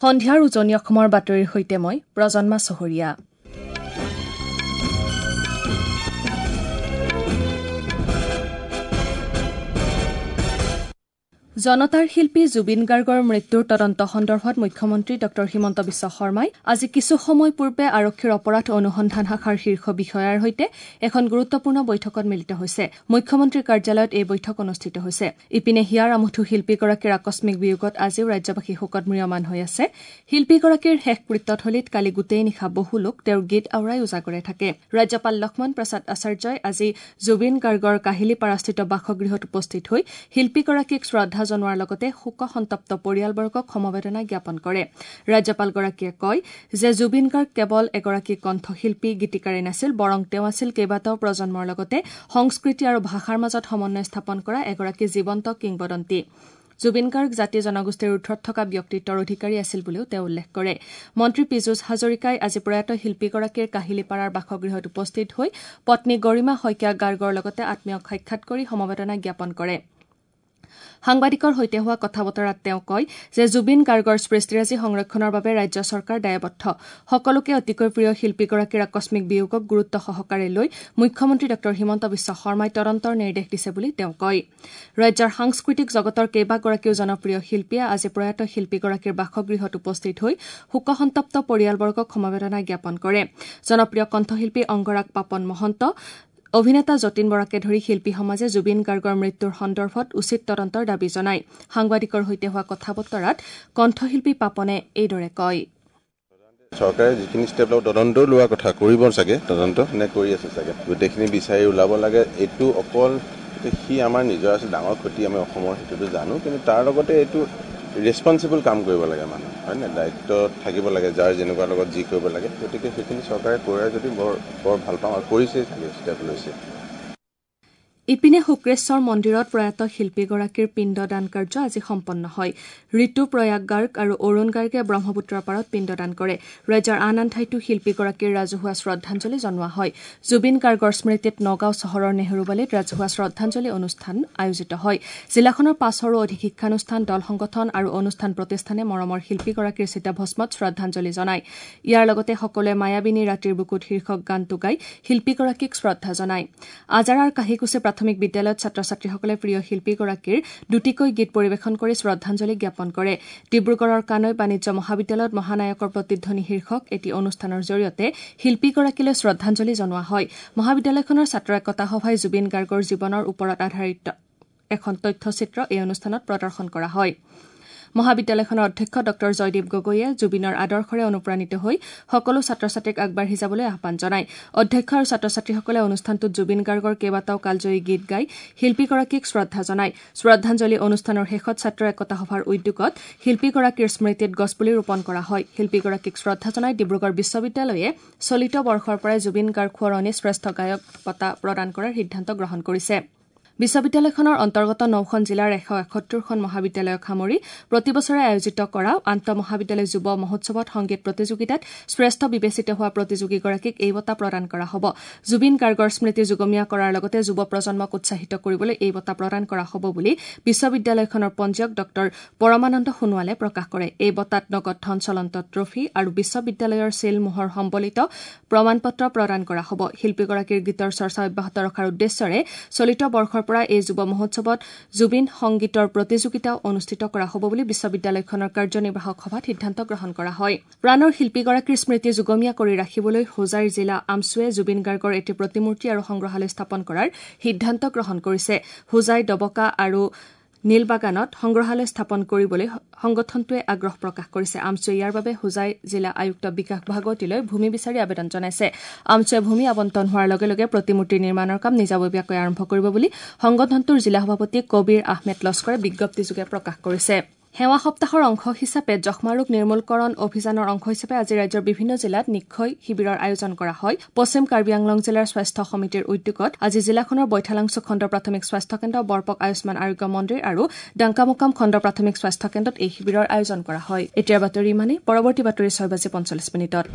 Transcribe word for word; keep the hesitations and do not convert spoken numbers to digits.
সন্ধিয়াৰ উজনি অসমৰ বাতৰিৰ সৈতে মই প্ৰজন্মা চহৰীয়া। জনতাৰ শিল্পী জুবিন গাৰ্গৰ মৃত্যুৰ তদন্ত সন্দৰ্ভত মুখ্যমন্ত্ৰী ডঃ হিমন্ত বিশ্ব শৰ্মাই আজি কিছু সময় পূৰ্বে আৰক্ষীৰ অপৰাধ অনুসন্ধান শাখাৰ শীৰ্ষ বিষয়াৰ সৈতে এখন গুৰুত্বপূৰ্ণ বৈঠকত মিলিত হৈছে। মুখ্যমন্ত্ৰীৰ কাৰ্যালয়ত এই বৈঠক অনুষ্ঠিত হৈছে। ইপিনে হিয়াৰ আমঠু শিল্পীগৰাকীৰ আকস্মিক বিয়োগত আজিও ৰাজ্যবাসী শোকত ম্ৰিয়মান হৈ আছে। শিল্পীগৰাকীৰ শেষকৃত্যথলীত কালি গোটেই নিশা বহু লোক তেওঁৰ গীত আওৰাই উজাগৰে থাকে। ৰাজ্যপাল লক্ষ্মণ প্ৰসাদ আচাৰ্যই আজি জুবিন গাৰ্গৰ কাহিলীপাৰাস্থিত বাসগৃহত উপস্থিত হৈ শিল্পীগৰাকীক শ্ৰদ্ধা জনোৱাৰ লগতে শোকসন্তপ্ত পৰিয়ালবৰ্গক সমবেদনা জ্ঞাপন কৰে। ৰাজ্যপালগৰাকীয়ে কয় যে জুবিন গাৰ্গ কেৱল এগৰাকী কণ্ঠশিল্পী, গীতিকাৰেই নাছিল, বৰং তেওঁ আছিল কেইবাটাও প্ৰজন্মৰ লগতে সংস্কৃতি আৰু ভাষাৰ মাজত সমন্বয় স্থাপন কৰা এগৰাকী জীৱন্ত কিংবদন্তি। জুবিন গাৰ্গ জাতি জনগোষ্ঠীৰ ঊৰ্ধত থকা ব্যক্তিত্বৰ অধিকাৰী আছিল বুলিও তেওঁ উল্লেখ কৰে। মন্ত্ৰী পীযুষ হাজৰিকাই আজি প্ৰয়াত শিল্পীগৰাকীৰ কাহিলীপাৰাৰ বাসগৃহত উপস্থিত হৈ পত্নী গৰিমা শইকীয়া গাৰ্গৰ লগতে আত্মীয়ক সাক্ষাৎ কৰি সমবেদনা জ্ঞাপন কৰে। সাংবাদিকৰ সৈতে হোৱা কথা বতৰাত তেওঁ কয় যে জুবিন গাৰ্গৰ সৃষ্টিৰাজি সংৰক্ষণৰ বাবে ৰাজ্য চৰকাৰ দায়বদ্ধ। সকলোকে অতিকৈ প্ৰিয় শিল্পীগৰাকীৰ আকস্মিক বিয়োগক গুৰুত্ব সহকাৰে লৈ মুখ্যমন্ত্ৰী ডঃ হিমন্ত বিশ্ব শৰ্মাই তদন্তৰ নিৰ্দেশ দিছে বুলি তেওঁ কয়। ৰাজ্যৰ সাংস্কৃতিক জগতৰ কেইবাগৰাকীও জনপ্ৰিয় শিল্পীয়ে আজি প্ৰয়াত শিল্পীগৰাকীৰ বাসগৃহত উপস্থিত হৈ শোকসন্তপ্ত পৰিয়ালবৰ্গক সমবেদনা জ্ঞাপন কৰে। জনপ্ৰিয় কণ্ঠশিল্পী অংগৰাগ পাপন মহন্ত, অভিনেতা যতীন বৰাকে ধৰি শিল্পী সমাজে জুবিন গাৰ্গৰ মৃত্যুৰ সন্দৰ্ভত উচিত তদন্তৰ দাবী জনায়। সাংবাদিকৰ সৈতে হোৱা কথা বতৰাত কণ্ঠশিল্পী পাপনে এইদৰে কয়। চৰকাৰে যিখিনি ষ্টেপ ল'ব, তদন্তও লোৱা কথা কৰিব চাগে, তদন্ত নে কৰি আছে চাগে, গোটেইখিনি বিচাৰি ওলাব লাগে। এইটো অকল সি আমাৰ নিজৰ আছিল, ডাঙৰ ক্ষতি আমি অসমৰ সেইটোতো জানো, কিন্তু তাৰ লগতে এইটো ৰেচপনচিবল কাম কৰিব লাগে মানুহ, হয় নে? দায়িত্ব থাকিব লাগে, যাৰ যেনেকুৱা লগত যি কৰিব লাগে। গতিকে সেইখিনি চৰকাৰে কৰে যদি বৰ বৰ ভাল পাওঁ, আৰু কৰিছেই চাগে, ষ্টেপ লৈছে। ইপিনে শুক্ৰেশ্বৰ মন্দিৰত প্ৰয়াত শিল্পীগৰাকীৰ পিণ্ডদান কাৰ্য আজি সম্পন্ন হয়। ঋতু প্ৰয়াগ গাৰ্গ আৰু অৰুণ গাৰ্গে ব্ৰহ্মপুত্ৰৰ পাৰত পিণ্ডদান কৰে। ৰাজ্যৰ আন আন ঠাইতো শিল্পীগৰাকীৰ ৰাজহুৱা শ্ৰদ্ধাঞ্জলি জনোৱা হয়। জুবিন গাৰ্গৰ স্মৃতিত নগাঁও চহৰৰ নেহৰুবালিত ৰাজহুৱা শ্ৰদ্ধাঞ্জলি অনুষ্ঠান আয়োজিত হয়। জিলাখনৰ পাঁচশৰো অধিক শিক্ষানুষ্ঠান, দল সংগঠন আৰু অনুষ্ঠান প্ৰতিষ্ঠানে মৰমৰ শিল্পীগৰাকীৰ চিতাভস্মত শ্ৰদ্ধাঞ্জলি জনায়। ইয়াৰ লগতে সকলোৱে মায়াবিনী ৰাতিৰ বুকুত শীৰ্ষক গানটো গাই শিল্পীগৰাকীক শ্ৰদ্ধা জনায়। আজাৰাৰ কাহিকুচি প্ৰাথমিক বিদ্যালয়ত ছাত্ৰ ছাত্ৰীসকলে প্ৰিয় শিল্পীগৰাকীৰ দুটিকৈ গীত পৰিৱেশন কৰি শ্ৰদ্ধাঞ্জলি জ্ঞাপন কৰে। ডিব্ৰুগড়ৰ কানৈ বাণিজ্য মহাবিদ্যালয়ত মহানায়কৰ প্ৰতিধ্বনি শীৰ্ষক এটি অনুষ্ঠানৰ জৰিয়তে শিল্পীগৰাকীলৈ শ্ৰদ্ধাঞ্জলি জনোৱা হয়। মহাবিদ্যালয়খনৰ ছাত্ৰ একতা সভাই জুবিন গাৰ্গৰ জীৱনৰ ওপৰত আধাৰিত এখন তথ্যচিত্ৰ এই অনুষ্ঠানত প্ৰদৰ্শন কৰা হয়। মহাবিদ্যালয়খনৰ অধ্যক্ষ ডঃ জয়দীপ গগৈয়ে জুবিনৰ আদৰ্শৰে অনুপ্ৰাণিত হৈ সকলো ছাত্ৰ ছাত্ৰীক আগবাঢ়ি যাবলৈ আহ্বান জনায়। অধ্যক্ষ আৰু ছাত্ৰ ছাত্ৰীসকলে অনুষ্ঠানটোত জুবিন গাৰ্গৰ কেইবাটাও কালজয়ী গীত গাই শিল্পীগৰাকীক শ্ৰদ্ধা জনায়। শ্ৰদ্ধাঞ্জলি অনুষ্ঠানৰ শেষত ছাত্ৰ একতা সভাৰ উদ্যোগত শিল্পীগৰাকীৰ স্মৃতিত গছপুলি ৰোপণ কৰা হয়। শিল্পীগৰাকীক শ্ৰদ্ধা জনাই ডিব্ৰুগড় বিশ্ববিদ্যালয়ে চলিত বৰ্ষৰ পৰাই জুবিন গাৰ্গ সোঁৱৰণী শ্ৰেষ্ঠ গায়ক বঁটা প্ৰদান কৰাৰ সিদ্ধান্ত গ্ৰহণ কৰিছে। বিশ্ববিদ্যালয়খনৰ অন্তৰ্গত নখন জিলাৰ এশ এসত্তৰখন মহাবিদ্যালয়ক সামৰি প্ৰতি বছৰে আয়োজিত কৰা আন্তঃমহাবিদ্যালয় যুৱ মহোৎসৱত সংগীত প্ৰতিযোগিতাত শ্ৰেষ্ঠ বিবেচিত হোৱা প্ৰতিযোগীগৰাকীক এই বঁটা প্ৰদান কৰা হ'ব। জুবিন গাৰ্গৰ স্মৃতি যুগমীয়া কৰাৰ লগতে যুৱ প্ৰজন্মক উৎসাহিত কৰিবলৈ এই বঁটা প্ৰদান কৰা হ'ব বুলি বিশ্ববিদ্যালয়খনৰ পঞ্জীয়ক ডঃ পৰমানন্দ সোণোৱালে প্ৰকাশ কৰে। এই বঁটাত নগদ ধন, চলন্ত ট্ৰফী আৰু বিশ্ববিদ্যালয়ৰ ছীল মোহৰ সম্বলিত প্ৰমাণপত্ৰ প্ৰদান কৰা হ'ব। শিল্পীগৰাকীৰ গীতৰ চৰ্চা অব্যাহত ৰখাৰ উদ্দেশ্যৰে চলিত বৰ্ষৰ পৰা এই যুৱ মহোৎসৱত জুবিন সংগীতৰ প্ৰতিযোগিতাও অনুষ্ঠিত কৰা হ'ব বুলি বিশ্ববিদ্যালয়খনৰ কাৰ্যনিৰ্বাহক সভাত সিদ্ধান্ত গ্ৰহণ কৰা হয়। প্ৰাণৰ শিল্পীগৰাকীৰ স্মৃতি যুগমীয়া কৰি ৰাখিবলৈ হোজাইৰ জিলা আমছুৱে জুবিন গাৰ্গৰ এটি প্ৰতিমূৰ্তি আৰু সংগ্ৰহালয় স্থাপন কৰাৰ সিদ্ধান্ত গ্ৰহণ কৰিছে। হোজাই, ডবকা আৰু নীলবাগানত সংগ্ৰহালয় স্থাপন কৰিবলৈ সংগঠনটোৱে আগ্ৰহ প্ৰকাশ কৰিছে। আমছুৱে ইয়াৰ বাবে হোজাই জিলা আয়ুক্ত বিকাশ ভাগৱতীলৈ ভূমি বিচাৰি আবেদন জনাইছে। আমছুৱে ভূমি আবণ্টন হোৱাৰ লগে লগে প্ৰতিমূৰ্তি নিৰ্মাণৰ কাম নিজাববীয়াকৈ আৰম্ভ কৰিব বুলি সংগঠনটোৰ জিলা সভাপতি কবিৰ আহমেদ লস্কৰে বিজ্ঞপ্তিযোগে প্ৰকাশ কৰিছে। সেৱা সপ্তাহৰ অংশ হিচাপে যক্ষ্মা ৰোগ নিৰ্মূলকৰণ অভিযানৰ অংশ হিচাপে আজি ৰাজ্যৰ বিভিন্ন জিলাত নিক্ষয় শিবিৰৰ আয়োজন কৰা হয়। পশ্চিম কাৰ্বি আংলং জিলাৰ স্বাস্থ্য সমিতিৰ উদ্যোগত আজি জিলাখনৰ বৈঠালাংছু খণ্ড প্ৰাথমিক স্বাস্থ্য কেন্দ্ৰ, বৰপক আয়ুষ্মান আৰোগ্য মন্দিৰ আৰু ডাংকামুকাম খণ্ড প্ৰাথমিক স্বাস্থ্য কেন্দ্ৰত এই শিবিৰৰ আয়োজন কৰা হয়। এতিয়াৰ বাতৰি ইমানেই। পৰৱৰ্তী বাতৰি ছয় বাজি পঞ্চল্লিছ মিনিটত।